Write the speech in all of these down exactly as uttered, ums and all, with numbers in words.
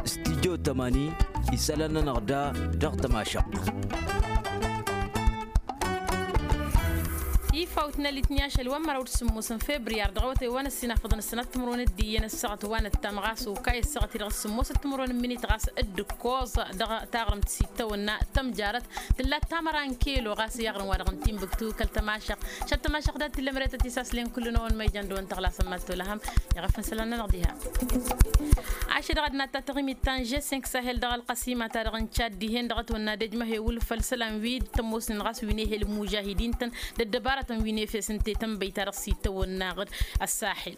Studyo tămani isălan-nănăɣ da dăɣ-tămašăɣt. Ifawt n-alitni ašăl wa n-măraw d-sǝmmos n-febriyar dăɣ-awătay wa n-ăssinafăḍăn ăssănat timǝrwen d-iyyăn ăssaɣăt wa n-ăttam ɣas okay ăssaɣăt-i dăɣ-sǝmmos d-timǝrwen n-minit ɣas d-ǝkkoẓ dăɣ-taɣrǝmt s-ittawănna tămjarăt tǝllat tamăra n-kelo ɣas i-aɣrǝm wa dăɣ-n timbǝktu kăl-tămašăɣt šăt tămašăɣt dat-t illa măretăt isaslen kull-năwăn ma ijăn dăwăn tăɣlasăn mad-tolăhăm. Iɣăf n-isălan-nănăɣ diha. Ašăl dăɣ-ad-natta taɣimit ta n-žessenk sahel dăɣ-ălqăsima-ta-dăɣ n-čad dihen dăɣ-ătwănna d-ejmăhe wǝlfăl isălan wi d-tămoosnen ɣas wi n-ehel mužahidin-tăn d-ăddăbarătăn wi n-efes ǝnta i-tănbăy-ta-dăɣ s-itawănna ɣǝd ăssaxil.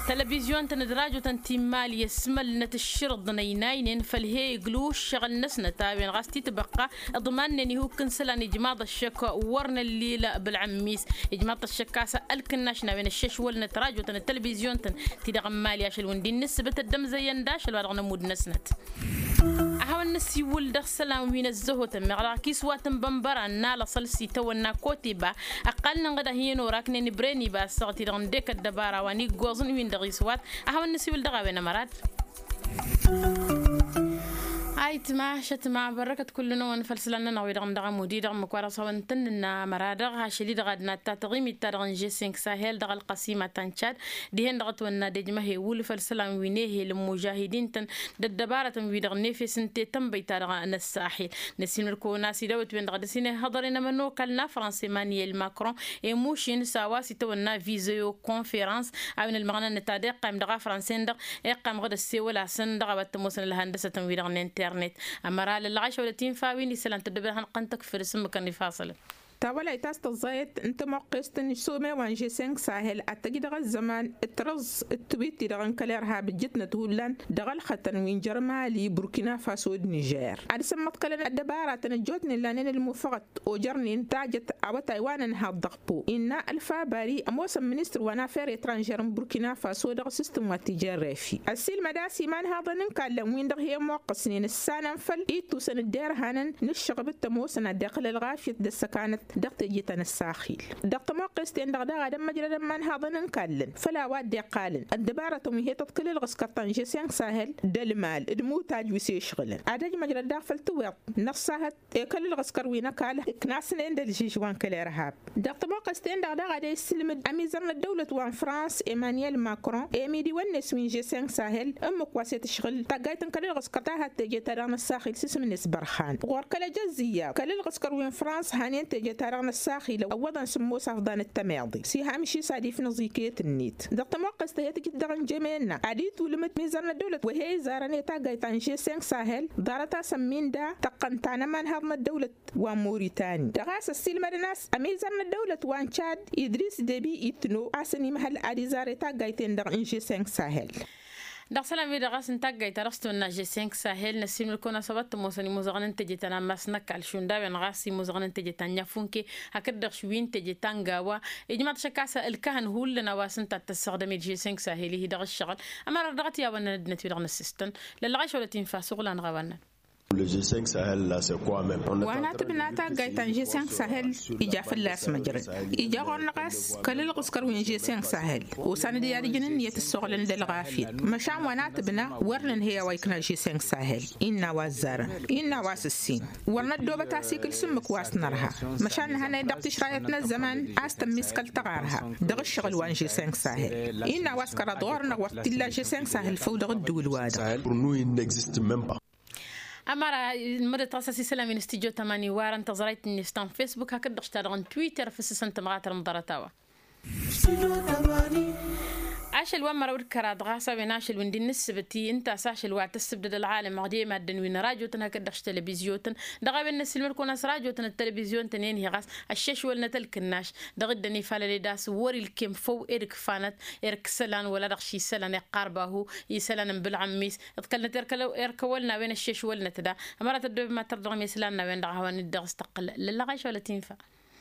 Tălăbizyon-tăn d-rajotăn ti n-mali ăsmălnăt ǝššǝrǝḍ n-ăynaynen făll-he-iglǝw ǝššăɣǝl-năsnăt a-wen ɣas titbăqqa iḍmannen ihukk n-isălan ijmaḍ ăššăk wăr năllil bǝlɣǝmmis. Ijmaḍ-t ăššăk a-s ălkǝnnaš n-a-wen ăššăšwălnăt rajotăn d-tălbizyon-tăn-ti-dăɣ n-mali ašăl wǝndin n-ǝssǝbǝt ăddămzăyăn d-ašăl wa dăɣ-nămudd-năsnăt. A hawăn-năsiwǝl dăɣ-isălan wi n-ăzzăhotăn meɣ dăɣ-akis wa tǝnbănbăra n-alăṣăl s-itawănna koteba ăqqalnăn ɣǝd-ahi n-oraknen ibreniba ăssaɣăt-i-dăɣ n-dek ăddăbara wa n-iggoẓăn wi n-dăɣ-iswat. A hawăn-năsiwǝl dăɣ-a-wen ămărad. Ayǝtma šătma bărrăkăt kullu-năwăn făll-isălan-nănăɣ wi-dăɣ n-dăɣ-amudi dăɣ-ǝmmǝk wa dăɣ-s hawăn-tăn-nǝnna ămăra-dăɣ ašăl-i-dăɣ ad-natta taɣimit-ta-dăɣ n-žessenk sahel dăɣ-ălqăsima ta n-čad dihen dăɣ-ătwănna d-ejmăhe wǝlǝf ălsălan wi n-ehel n-mužahidin-tăn d-ăddăbarătăn-wi-dăɣ n-efes ǝnta i-tănbăy-ta-dăɣ n-ăssaxil. Năsiilmăd-kăwăn a-s idawăt-wen-dăɣ dăr-s inhăḍăr i-nămănokal n-afrans emăniyel makron emušin s-a-wa s-itawănna vizeo konferans a-wen ălmăɣnănăt ad-iqqayǝm dăɣ-afrans-en-dăɣ iqqam ɣǝd ăssewăl-asăn dăɣ-a-wa t-ămoosăn ălhăndăsătăn-wi-dăɣ n-internet. Ămăra lăllăɣaš wălăt infa wi n-isălan tăddobed ad-hanăɣ-tăn-tăkfǝd s-ǝmmǝkăn ifaṣălăn. Ta wălayt a-s tăẓẓayăt n-tămoqqest n-some wa n-žessenk sahel ad-tăj dăɣ-ăzzăman d-tărǝẓ d-tiwit-ti-dăɣ n-kăl-irhab ǝjjǝtnăt hullan dăɣ-ălxătăn wi n-jer-mali burkina faso d-nižer ad-sămmăḍkălăn ăddăbaratăn ăjjootnen lanen ălmufăɣăt ojărnen tajăt awătay wa n-ănhaḍ dăɣ-po innă ălfabari ămoosăn ministăr wa n-afer etranžer n-burkina faso dăɣ-sǝstǝm wa t-ijerref. Ăssiilmăd a-s imanhaḍăn n-kallăn-win-dăɣ he-ămoqqăsnen ǝssanăn făll-ittusăn dd-irhanăn n-ǝššăɣb d-tămoosăn ad-iqqǝl ălɣafyăt d-ăssăkanăt dăɣ-teje ta n-ăssaxil. Dăɣ-tămoqqest-en-dăɣ daɣ ad-ămmăjrădăn imanhaḍăn n-kallăn făll-a-wa dd-iqqalăn ăddăbarătăn wi he-tăḍkǝl ǝlɣǝskăr ta n-žessenk sahel d-ălmal d-imutaj wi s-ešɣǝlăn ad-ăjmăjrăd daɣ făll-tiweḍt n-ăṣṣahăt i-kăl-ǝlɣǝskăr wi n-ăkall ǝknasnen d-ălžǝžwa n-kăl-irhab. Dăɣ-tămoqqest-en-dăɣ daɣ ad-e-issǝlmǝd ămizărnăt dăwlăt wa n-frans emăniyel makron i-ămidi-wăn-net wi n-žessenk sahel ǝmmǝk wa s-e-tǝšɣǝl taggayt n-kăl-ǝlɣǝskăr ta had-teje-ta-dăɣ n-ăssaxil s-isǝm-net bărxan ɣur-kăl-ejăzzǝyya kăl-ǝlɣǝskăr wi n-frans hanen teje-ta-dăɣ n-ăssaxil ăwwăḍăn sǝmmos afḍan d-temeḍe s-iha amǝšis ad-ifnǝẓ iket-net. Dăɣ-tămoqqest a he-tǝjǝt dăɣ-injămena ad-itwǝlmǝd mizărnăt dăwlăt wa he-izarăn i-taggayt ta n-žessenk sahel ḍarăt-asăn minda tăqqăn ta n-ămanhaḍ n-ăddăwlăt wa n-moritani dăɣ-a-s ăssiilmădăn a-s ămizărnăt dăwlăt wa n-čad idris debi itno a-s ănimhăl ad-izar i-taggayt-en-dăɣ n-žessenk sahel. Dăɣ-isălan-wi-dăɣ a-s n-taggayt ta dăɣ-s tăwănna žessenk sahel năssiilmăd-kăwăn a-s a-wa t-ămoosăn imuzăɣăn n-teje ta n-ammas n-ăkall šund a-wen ɣas imuzăɣăn n-teje ta n-ăfunke hakd-dăɣ wi n-teje ta n-gawa. Ijmaḍ šăkk a-s ǝlkăhăn hullan a-wa s-ǝnta ad-tăssăɣdăm-dd žessenk sahel-ihi dăɣ-ǝššăɣǝl ămăra dăɣ-t i-a-wănnăn ăddinăt-wi-dăɣ năssistăn. Lăllăɣeš wălăt infa suɣlan ɣawannăn. Wa n-atǝbna taggayt ta n-žessenk sahel ija fălla-s măjrăd ija ɣur-năɣ a-s kăl-ǝlɣǝskăr wi n-žessenk sahel osan d-i ad-ǝjǝn ǝnniyăt ǝssoɣlăn d-ălɣafyăt. Măšan wa n-atǝbna wăr nǝnhăy a-wa ikna žessenk sahel innă a-wa ăzzarăn innă a-wa s-ǝssin wăr năddoobăt asikǝl s-ǝmmǝk wa s-nărha. Măšan nǝhănăy dăɣ-tišrayăt n-ăzzăman a-s tămmiskăl tăɣarha dăɣ-ǝššăɣǝl wa n-žessenk sahel. Innă a-wa s-kăraḍ ɣur-năɣ wăr t-illa žessenk sahel făw dăɣ-ǝddǝwǝl-wa-dăɣ. Ămăra ǝlmădăt ɣas a-s isălan wi n-studyo tămani warăn tăẓrayt-net ta n-fesbuk hakd-dăɣ š-ta-dăɣ n-twitter făssăsăn tămɣatăr n-ḍarăt-a-wa. Ašăl wa n-măraw d-kăraḍ ɣas a-wen ašăl wi n-di n-ǝssǝbǝt-i ǝnta a-s ašăl wa tăssǝbdăd ălɣalăm ăɣdem ad-dd-ănwin rajotăn hakd-dăɣ š-televizyon-tăn. Dăɣ-a-wen n-ăssiilmăd-kăwăn a-s rajotăn d-televizyon-tăn i-ănheɣ a-s ăššešwălnăt ălkǝnnaš dăɣ-dd-ănifalăled a-s wăr-ilkem făw ed ǝkfanăt erk isălan wăla dăɣ-ši isălan iqqarbahu isălan n-bǝlɣǝmmis. Ǝḍkălnăt erk ăwăl n-a-wen ăššešwălnăt da ămăra tăddoobem ad-tărdăɣăm i-isălan n-a-wen-dăɣ a hawăn-dd-dăɣ-s tăqqǝl lăllăɣeš wăla tinfa.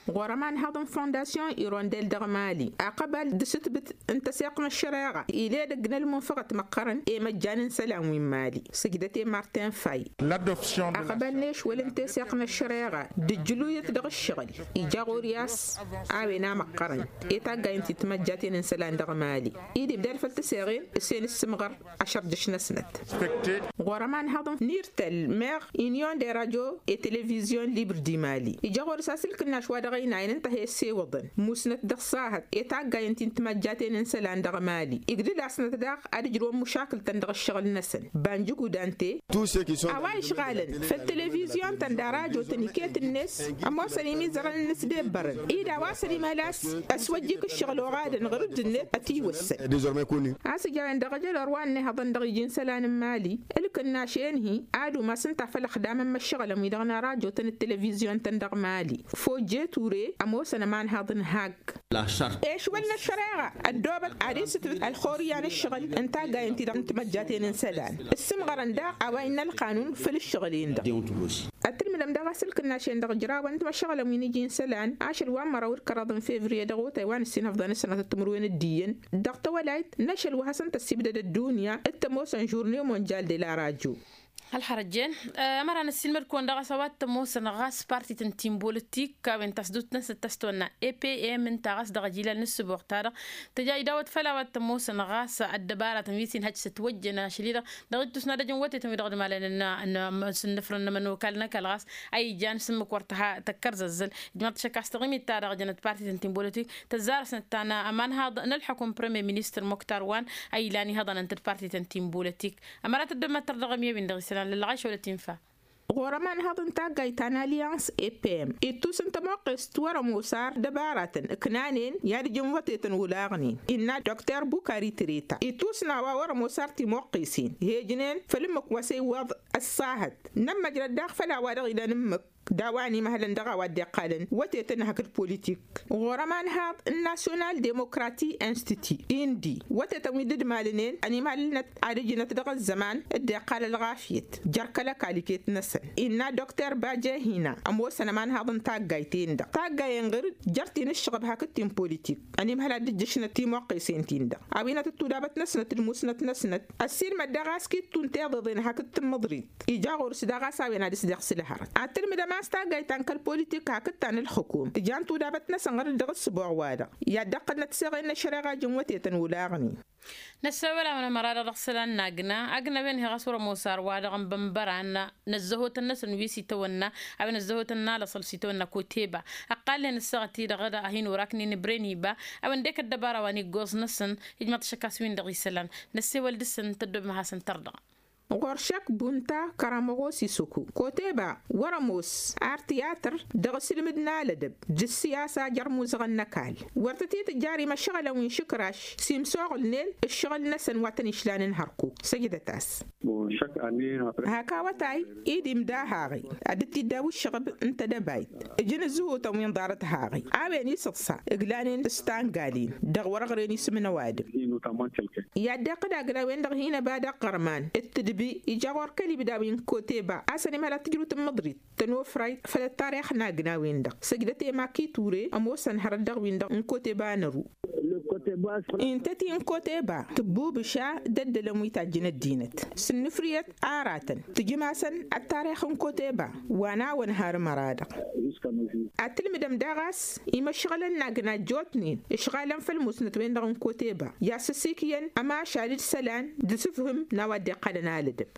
Ɣur-ămanhăḍ n-fondasyon irondel dăɣ-mali aqăbal d-asǝtbǝt n-tăseɣt n-ăššăreɣa, iledăgg n-ălmunfăɣăt măqqărăn i-măjjan n-isălan wi n-mali. Sǝjdăt i-martin fay. Aqăbal n-ešwăl n-teseɣt n-ăššăreɣa d-ǝjjǝluyăt dăɣ-ǝššăɣǝl ija ɣur-i a-s a-wen a măqqărăn i-taggayăn ti timăjjaten n-isălan dăɣ-mali. Id-ibdad făll-tăseɣen s-en ǝssǝmɣăr ašăr dăɣ-š-năsnăt. Ɣur-ămanhăḍ n-irtăl meɣ inyon de radio i-televizyon libr di mali ija ɣur-s asǝlkǝnnaš wa dăɣ-ăynayăn ǝnta a he-ăssewăḍăn musnăt dăɣ-sahăt i-taggayăn ti n-timăjjaten n-isălan dăɣ-mali. Igdǝd-asnăt daɣ ad-ǝjrǝwăn mušakǝltăn dăɣ-ǝššăɣǝl-năsăn. Banjǝgudante a-wa išɣalăn făll-televizyon-tăn d-arajotăn iket-net ămoosăn imizărăn n-inǝsdebbărăn ida a-wa s-ănimăl a-s ăswăjjik ǝššăɣǝl oɣadăn ɣur-dd-net ătiwăssăn. A-s ǝja a-wen dăɣ-ejălor wa ănnihăḍăn dăɣ-iji n-isălan n-mali ǝlkǝnnaš-en-hi ad-umasăn ta făll-ăxdamăn măššăɣǝlăn wi-dăɣ n-arajotăn d-televizyon-tăn dăɣ-mali. Fojje ture ămoosăn ămanhăḍ n-hak. Ešwăl n-ăššăreɣa ăddoobăt ad-isǝtbǝt ălxurǝyya n-ǝššăɣǝl n-taggayăn-ti-dăɣ n-timăjjaten n-isălan. Ǝssǝmɣărăn daɣ a-wa innă ălqanun făll-ǝššăɣǝl-in-dăɣ. Ad-tǝlmǝdăm daɣ asǝlkǝnnaš-en-dăɣ ǝjrawăn timăššăɣǝlăn wi n-iji n-isălan ašăl wa n-măraw d-kăraḍ n-fevriye dăɣ-otay wa n-ǝssin ăfḍăn ǝssănătăt timǝrwen d-iyyăn dăɣ-tawălayt n-ašăl wa hasăn-tăssibdăd ăddunya d-tămoosăn žurne monjal de la radio. Ălxărăjjen. Ămăra n-ăssiilmăd-kăwăn daɣ a-s a-wa t-ămoosăn ɣas partit n-ti n-bolătik a-wen tasdut-năsnăt ta s-tăwănna epm ǝnta ɣas dăɣ-ajilal n-ǝssǝboɣ-ta-dăɣ tăja idawăt făll-a-wa t-ămoosăn ɣas ăddăbaratăn wi s-inhăj s-ătwăjjăn ašăl-i-dăɣ dăɣ-ittus n-ad-ăj n-wătetăn wi-dăɣ d-malănăn n-asǝnnǝfrăn n-ămănokal n-ăkall ɣas a ijan s-ǝmmǝk wăr tăha tăkkărzăzzăl. Ijmaḍ-t šăkk a-s taɣimit-ta-dăɣ jănăt partit n-ti n-bolătik tăzzarăsnăt ta n-ămanhaḍ n-ălḥukum premier ministăr moktar wan a ilan ihăḍănăn-t d-partit n-ti n-bolătik. Ămărat ăddămăttăr dăɣ-ămyăwin dăɣ-isălan lălɣayš wălăt infa. Ɣur-ămanhăḍ n-taggayt ta n-alyans epm ittus n-tămoqqest wăr-ămoos ar dăbaratăn ǝknanen i-ad-ǝjǝn wătetăn olaɣnen innă dokter bukari treta ittus n-a-wa wăr-ămoos ar timoqqesen hejnen făll-ǝmmǝk wa s-ewwaḍ ăṣṣahăt. Nămmăjrăd daɣ făll-a-wa dăɣ-ilan ǝmmǝk d-a-wa ănimăhălăn dăɣ-a-wa dd-iqqalăn wătetăn hakd politik. Ɣur-ămanhaḍ n-nasyonal demokrati institu indi wătetăn wi dd-malănen ănimăhălăn-năt ad-ǝjnăt dăɣ-ăzzăman dd-iqqal ălɣafyăt jer-kăl-ăkall iket-năsăn innă dokter baje hina ămoosăn ămanhaḍ n-taggayt-en-dăɣ taggayen ɣǝr-dd jer-ti n-ǝššăɣăb hakd ti n-politik. Ănimhăl ad-dd-ǝjjǝšnăt timoqqesen-tin-dăɣ a-wen ad-tăt-tudabăt-năsnăt d-musnăt-năsnăt ăssiilmăd daɣ a-s kittun tiḍeḍen hakd tǝmmǝḍrit. Ija ɣur-s daɣ a-s a-wen ad-ǝsdăɣ s-ǝlhărăt ad-tǝlmǝdăm a-s taggayt ta n-kăl-politik hakd ta n-ǝlxǝkum tǝja n-tudabăt-năsăn ɣǝr-dd dăɣ-ǝssǝboɣ-wa-dăɣ i-ad-dăɣ-tănnăt seɣen n-ăššăreɣa jǝn wătetăn olaɣnen. Năssewăl-awăn ămăra-dăɣ dăɣ-isălan n-agna agna a-wen hi-ɣas wăr-ămoos ar wa-dăɣ n-bănbăran năzzăhotăn-năsăn wi s-itawănna a-wen ăzzăhotăn n-alăṣăl s-itawănna koteba. Ăqqalnen ǝssaɣăt-i-dăɣ ad-hin-oraknen ibreniba a-wen dek ăddăbara wa n-iggoẓ-năsăn. Ijmăḍ ašăk a-s win-dăɣ isălan năssewăl dăɣ-săn tăddob ma hasăn-tărdăɣ. Ɣur-šăk bunta kăramăɣos isǝku koteba wăr-ămoos ar tiyatăr dăɣ-asǝlmǝd n-alădăb d-ǝssiyasa jer-imuzăɣăn n-ăkall. Wăr tăt-itǝjjar imăšɣălăn wi n-išǝkraš s-imsoɣǝlnen ǝššăɣǝl-năsăn wa tăn-išlan n-hărkuk. Săjdăt-as. Hak awătay i-dd-imda haɣi ad-dd-tiddaw ǝššăɣǝb n-tedăbayt ǝjǝn ǝzzǝhutăn wi n-ḍarăt haɣi a-wen isǝḍsa ǝglanen s-tangalin dăɣ-wăr-ăɣren isǝm n-ăwadǝm. I-ad-dd-iqqǝd agna a-wen-dăɣ hin-ăba d-aqqărman d-tǝdbi ija ɣur-kăl-ibda wi n-koteba a-s ănimhăl ad-tǝjrǝw tǝmmǝḍrit tănofrayt făll-ăttarix n-agna a-wen-dăɣ. Săjdăt i-maki ture ămoosăn hărăt dăɣ-win-dăɣ n-koteba n-ărru. Ǝnta ti n-koteba tǝbbubǝša d-ăddălăn wi tajjǝn ăddinăt s-ǝnnǝfrǝyăt aratăn tǝjǝm-asăn ăttarix n-koteba. Wa n-awăn har ămăra-dăɣ ad-tǝlmǝdăm daɣ a-s imăšɣălăn n-agna ăjjootnen ǝšɣalăn făll-musnăt-wen-dăɣ n-koteba i-ad-sǝsikǝyăn ămašal d-isălan d-asǝfhǝm n-a-wa dd-iqqalăn alădăb.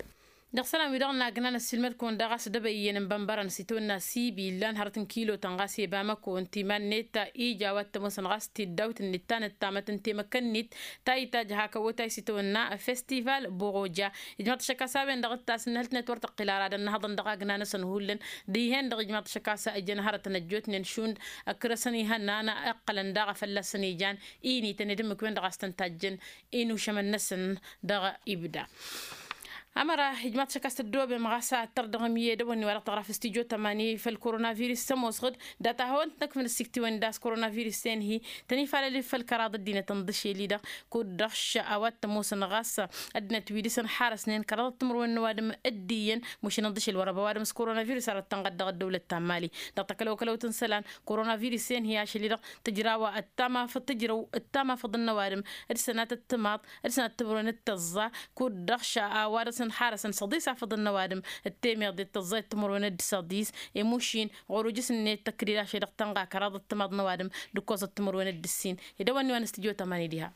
Dăɣ-isălan-wi-dăɣ n-agna năssiilmăd-kăwăn daɣ a-s dăbăyyăn n-bănbărăn s-itawănna sibi illan hărăt n-kilotăn ɣas i-bamăko ǝnta iman-net ija a-wa t-ămoosăn ɣas tiddawt-net ta nǝttamăt n-temăkănnit ta itajj hak awătay s-itawănna festival boɣoja. Ijmaḍ-t ašăk a-s a-wen-dăɣ ǝttas n-hălt-net wăr tăqqǝl ara ad-ănnăhăḍăn dăɣ-agna-năsăn hullan dihen-dăɣ ijmaḍ-t ašăk a-s ăjjăn hărătăn ăjjootnen šund ăkrăsăn ihănnan ǝqqălăn daɣ a fălla-săn ijan inităn d-ǝmmǝk-wen-dăɣ a-s tăn-tajjăn inušămăn-năsăn dăɣ-ibda. Ămăra ijmaḍ-t šăkk a-s tăddoobem ɣas ad-tărdăɣăm i-edăwănni wa dăɣ-tăɣra f-studyo tămani făll-koronavirus s-ămoosăɣ-dd data a hawăn-t-năkfăn ăssiktǝwăn d-a-s koronavirus-en-hi tăn-ifalăl făll-kăraḍ ăddinăt ǝnḍǝšel-i-dăɣ kud-dăɣ š-a-wa t-ămoosăn ɣas ăddinăt wi dăɣ-săn xarăsnen kăraḍăt timǝrwen n-ăwadǝm. Dd-iyyăn mašin ǝnḍǝšel wăr-ăba ăwadǝm s-koronavirus ar ăttănɣăd dăɣ-ăddăwlăt ta n-mali dăɣ-takălăwkălăwt n-isălan. Koronavirus-en-hi ašăl-i-dăɣ tǝjraw ăttamafăḍ tǝjrăw ăttamafăḍ n-ăwadǝm d-sănatăt timaḍ d-sănatăt timǝrwen d-tăẓẓa kud-dăɣ š-a-wa dăɣ-săn xarăsăn săḍis afăḍăn n-ăwadǝm d-temeḍe d-tăẓẓa d-timǝrwen d-săḍis. I-mušin ɣur-ujǝs-net tăkded ašăl-i-dăɣ tănɣa kăraḍăt timaḍ n-ăwadǝm d-ǝkkoẓăt timǝrwen d-ǝssin. Edăwănni wa n-studyo tămani diha.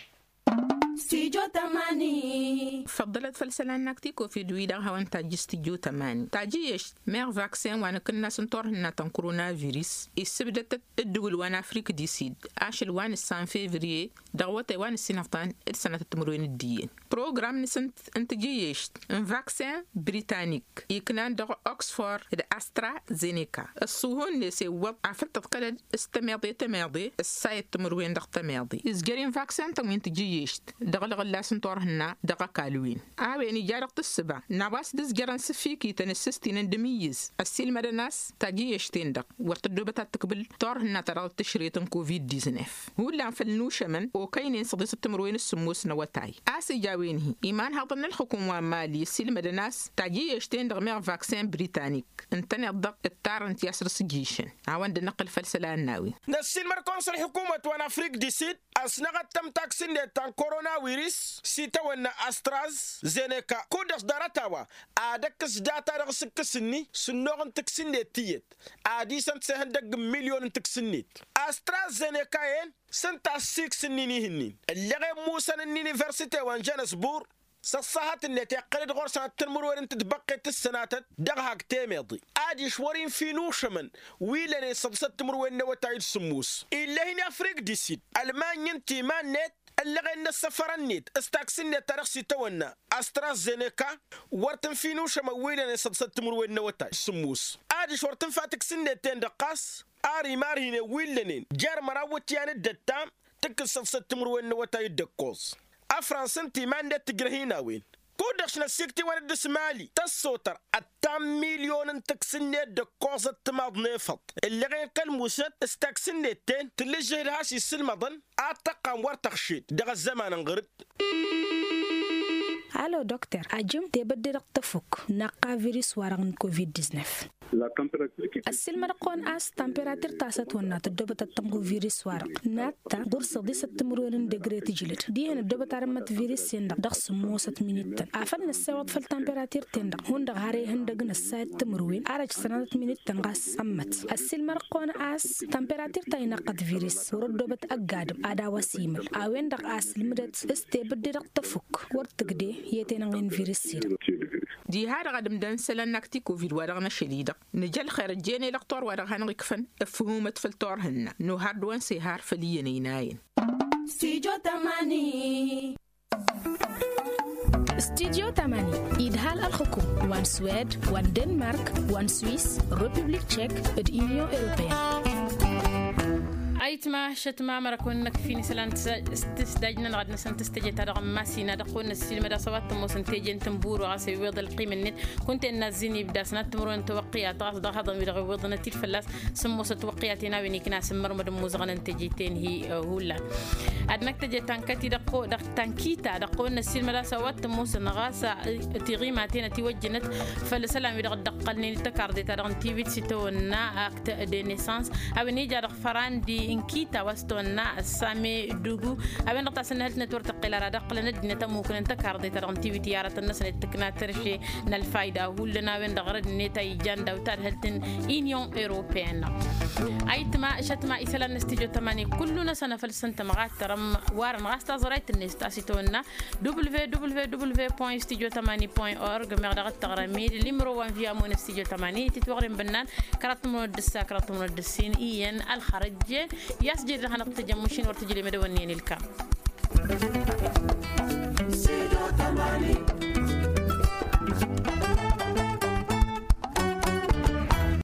Studyo tămani. Făḍḍălăt făll-isălan n-akti covid-wi-dăɣ hawăn-tajj studyo tămani tajǝyyešt meɣ vaksen wa nǝkǝnnas n-turhǝnna ta n-koronavirus issǝbdătăt ǝddǝwǝl wa n-afrik disid ašăl wa n-ǝssan fevriye dăɣ-awătay wa n-ǝssinăftan d-sănatăt timǝrwen d-iyyăn. Program-năsăn n-tajǝyyešt n-vaksen britanik iknan dăɣ-oxford d-astra zeneka ǝṣṣuhu-net iwwăḍ afăl tǝḍkălăd s-temeḍe temeḍe ǝssayăt timǝrwen dăɣ-temeḍe izjăr-in vaksen-tăn wi n-tajǝyyešt dăɣ-ălɣǝllas n-turhǝnna dăɣ-ăkall-win. A-wen ija dăɣ-tǝssǝba n-a-wa s-dd-ǝzjărăn s-ǝffikităn s-ǝstinăn d-imǝyyǝz ăssiilmădăn a-s tajǝyyešten-dăɣ wăr tăddoobăt ad-tǝkbǝl turhǝnna ta dăɣ-tǝšret n-covid-diznef. Hullan făll-inušămăn okăynen săḍisăt timǝrwen s-sǝmmos n-awătay a-s ija a-wen-hi imanhăḍăn n-ălxukum wa n-mali ăssiilmădăn a-s tajǝyyešten-dăɣ meɣ vaksen britanik ǝntăneḍ-dăɣ ǝttarăn-t i-asrǝsjǝšăn. A-wen dd-năqqǝl făll-isălan n-a-wen. Năssiilmăd-kăwăn s-ălxukumăt wa n-afrik disid ăsnăɣăttăm taksǝnnet ta n-koronawiris s-itawănna astraz zeneka kud-dăɣ s-ḍarăt-a-wa ad-ăkkǝs data-dăɣ s-ǝkkǝs-ni s-ǝnnuɣ n-taksǝnnet tiyyăt ad-isăn-t s-ihăndăgg n-milyon n-taksǝnnet. Astraz zeneka-en s-ǝnta a ăssiiksǝnnin ihǝnnin ǝlleɣen musăn n-universite wa n-jănăsbur s-ăṣṣahăt-net iqqăl-dd ɣur-săn ad-tǝnmǝrwen n-tǝtbăqqet s-sănatăt dăɣ-hak temeḍe adiš wăr-infa inušămăn wi lănen săḍisăt timǝrwen n-awătay d-sǝmmos. Ill'-e-hin i-afrik disid ălmany ǝnta iman-net ăllăɣen n-ăssăfăr-net s-taksǝnnet ta dăɣ-s itawănna astraz zeneka wăr tǝnfa inušămăn wi lănen săḍisăt timǝrwen n-awătay d-sǝmmos. Adiš wăr tǝnfa taksǝnnet-ten-dăɣ ɣas ar imarhinen wi lănen jer-măraw iwǝtyan d-ăttam tǝkkǝs săḍisăt timǝrwen n-awătay d-ǝkkoẓ. Ăfrans ǝnta iman-net tǝjrăh-in a-wen kud-dăɣ š-năssiktǝwăn dd-s mali tăssotăr ăttam milyon n-taksǝnnet d-ǝkkoẓăt timaḍ n-efăḍ ǝlleɣen kăl-musnăt s-taksǝnnet-ten tǝllǝžžǝh d-has-isǝlmăḍăn ad-tăqqam wăr tăɣšed dăɣ-ăzzăman n-ɣǝr-dd. Alo dokter ajǝm tebădde dăɣ-tăfuk naqqa virus-wa-dăɣ n-covid-diznef. Ăssiilmăd-kăwăn a-s tamperatir ta s-ătwănna tăddoobăt ad-tănɣu virus-wa-dăɣ natta ɣur-săḍisăt timǝrwen n-degre tǝjlăd dihen ăddoobăt ad-ămmăt virus-en-dăɣ dăɣ-sǝmmosăt minittăn afăl năssewăḍ făll-tamperatir-ten-dăɣ hundăɣ har ihăndăg n-ăssayăt timǝrwen ar ăj sănatăt minittăn ɣas ămmăt. Ăssiilmăd-kăwăn a-s tamperatir ta inăqqăt virus wăr-ăddoobăt ăgg-adǝm ad-a-wa s-imǝl a-wen-dăɣ a sǝlmǝdăt s-tebǝdde dăɣ-tăfuk wăr tǝgde i-tenănɣe n-virus-i-dăɣ. Diha-dăɣ ad-ǝmdăn isălan n-akti covid-wa-dăɣ n-ašăl-i-dăɣ nǝj' ălxer ăjjeen i-lăqtor wa dăɣ-hanăɣ-ikfăn ǝfhumăt făll-turhǝnna n-ohar d-wa n-sehar făll-iyyăn ăynayăn. Studyo tămani. Studyo tămani idhal ălxukum wa n-swed wa n-denmark wa n-swis, republik tchek d-inyon europeyăn. Ayǝtma šătma măra kăwăn-năkf-in isălan s-tǝsdajnăn ɣad-năsăn tǝstăje ta dăɣ-n masina dăɣ-kăwăn-năssiilmăd a-s a-wa t-ămoosăn teje n-tǝnbur wa ɣas iwweḍ ălqim-net kunta innă ăzzin ibda sănat timǝrwen n-tawăqqiyat ɣas dăɣ-haḍăn wi-dăɣ iwweḍăn ătidd fălla-s. Sǝmmosăt tawăqqiyaten a-wen ikna s-ǝmmărmăd n-imuzăɣăn n-teje-ten-hi. Hullan ad-năkk teje ta n-kăti dăɣ-ko dăɣ-ta n-kita dăɣ-kăwăn-năssiilmăd a-s a-wa t-ămoosăn ɣas tiɣimaten ătiwăjjănăt făll-isălan wi-dăɣ dd-ăqqălnen d-tăkarḍe-ta-dăɣ n-tiwit s-itawănna akt de nesans a-wen ija dăɣ-fărandi n-kita wa s-tawănna ăssame dugu. A-wen-dăɣ tasǝnnăhălt-net wăr tăqqel ara d-ăqqǝlăn ăddinăt ămmukǝn n-tăkarḍe-ta-dăɣ n-tiwit i-aratăn-năsăn d-tǝkna tărše n-ălfayda hullan a-wen-dăɣ rădd-net a ijan daw-tadhǝlt n-inyon europeyăn. Ayǝtma šătma isălan n-studyo tămani kullu-năsăn a făl s-ǝntăm ɣattărăm warăn ɣas taẓrayt-net ta s-itawănna www point studio tamani point org meɣ dăɣ-t tăɣrămid limro wa n-viamo n-studio tamani titwăɣrem bănnan kăraḍ tămrăwăn d-ǝssa kăraḍ tămrăwăn d-ǝssin iyyăn ălxărăjjen. I-a-s jed dăɣ-hanăɣ-tăjăm mašin wăr tǝjlem edăwănnen ilkam.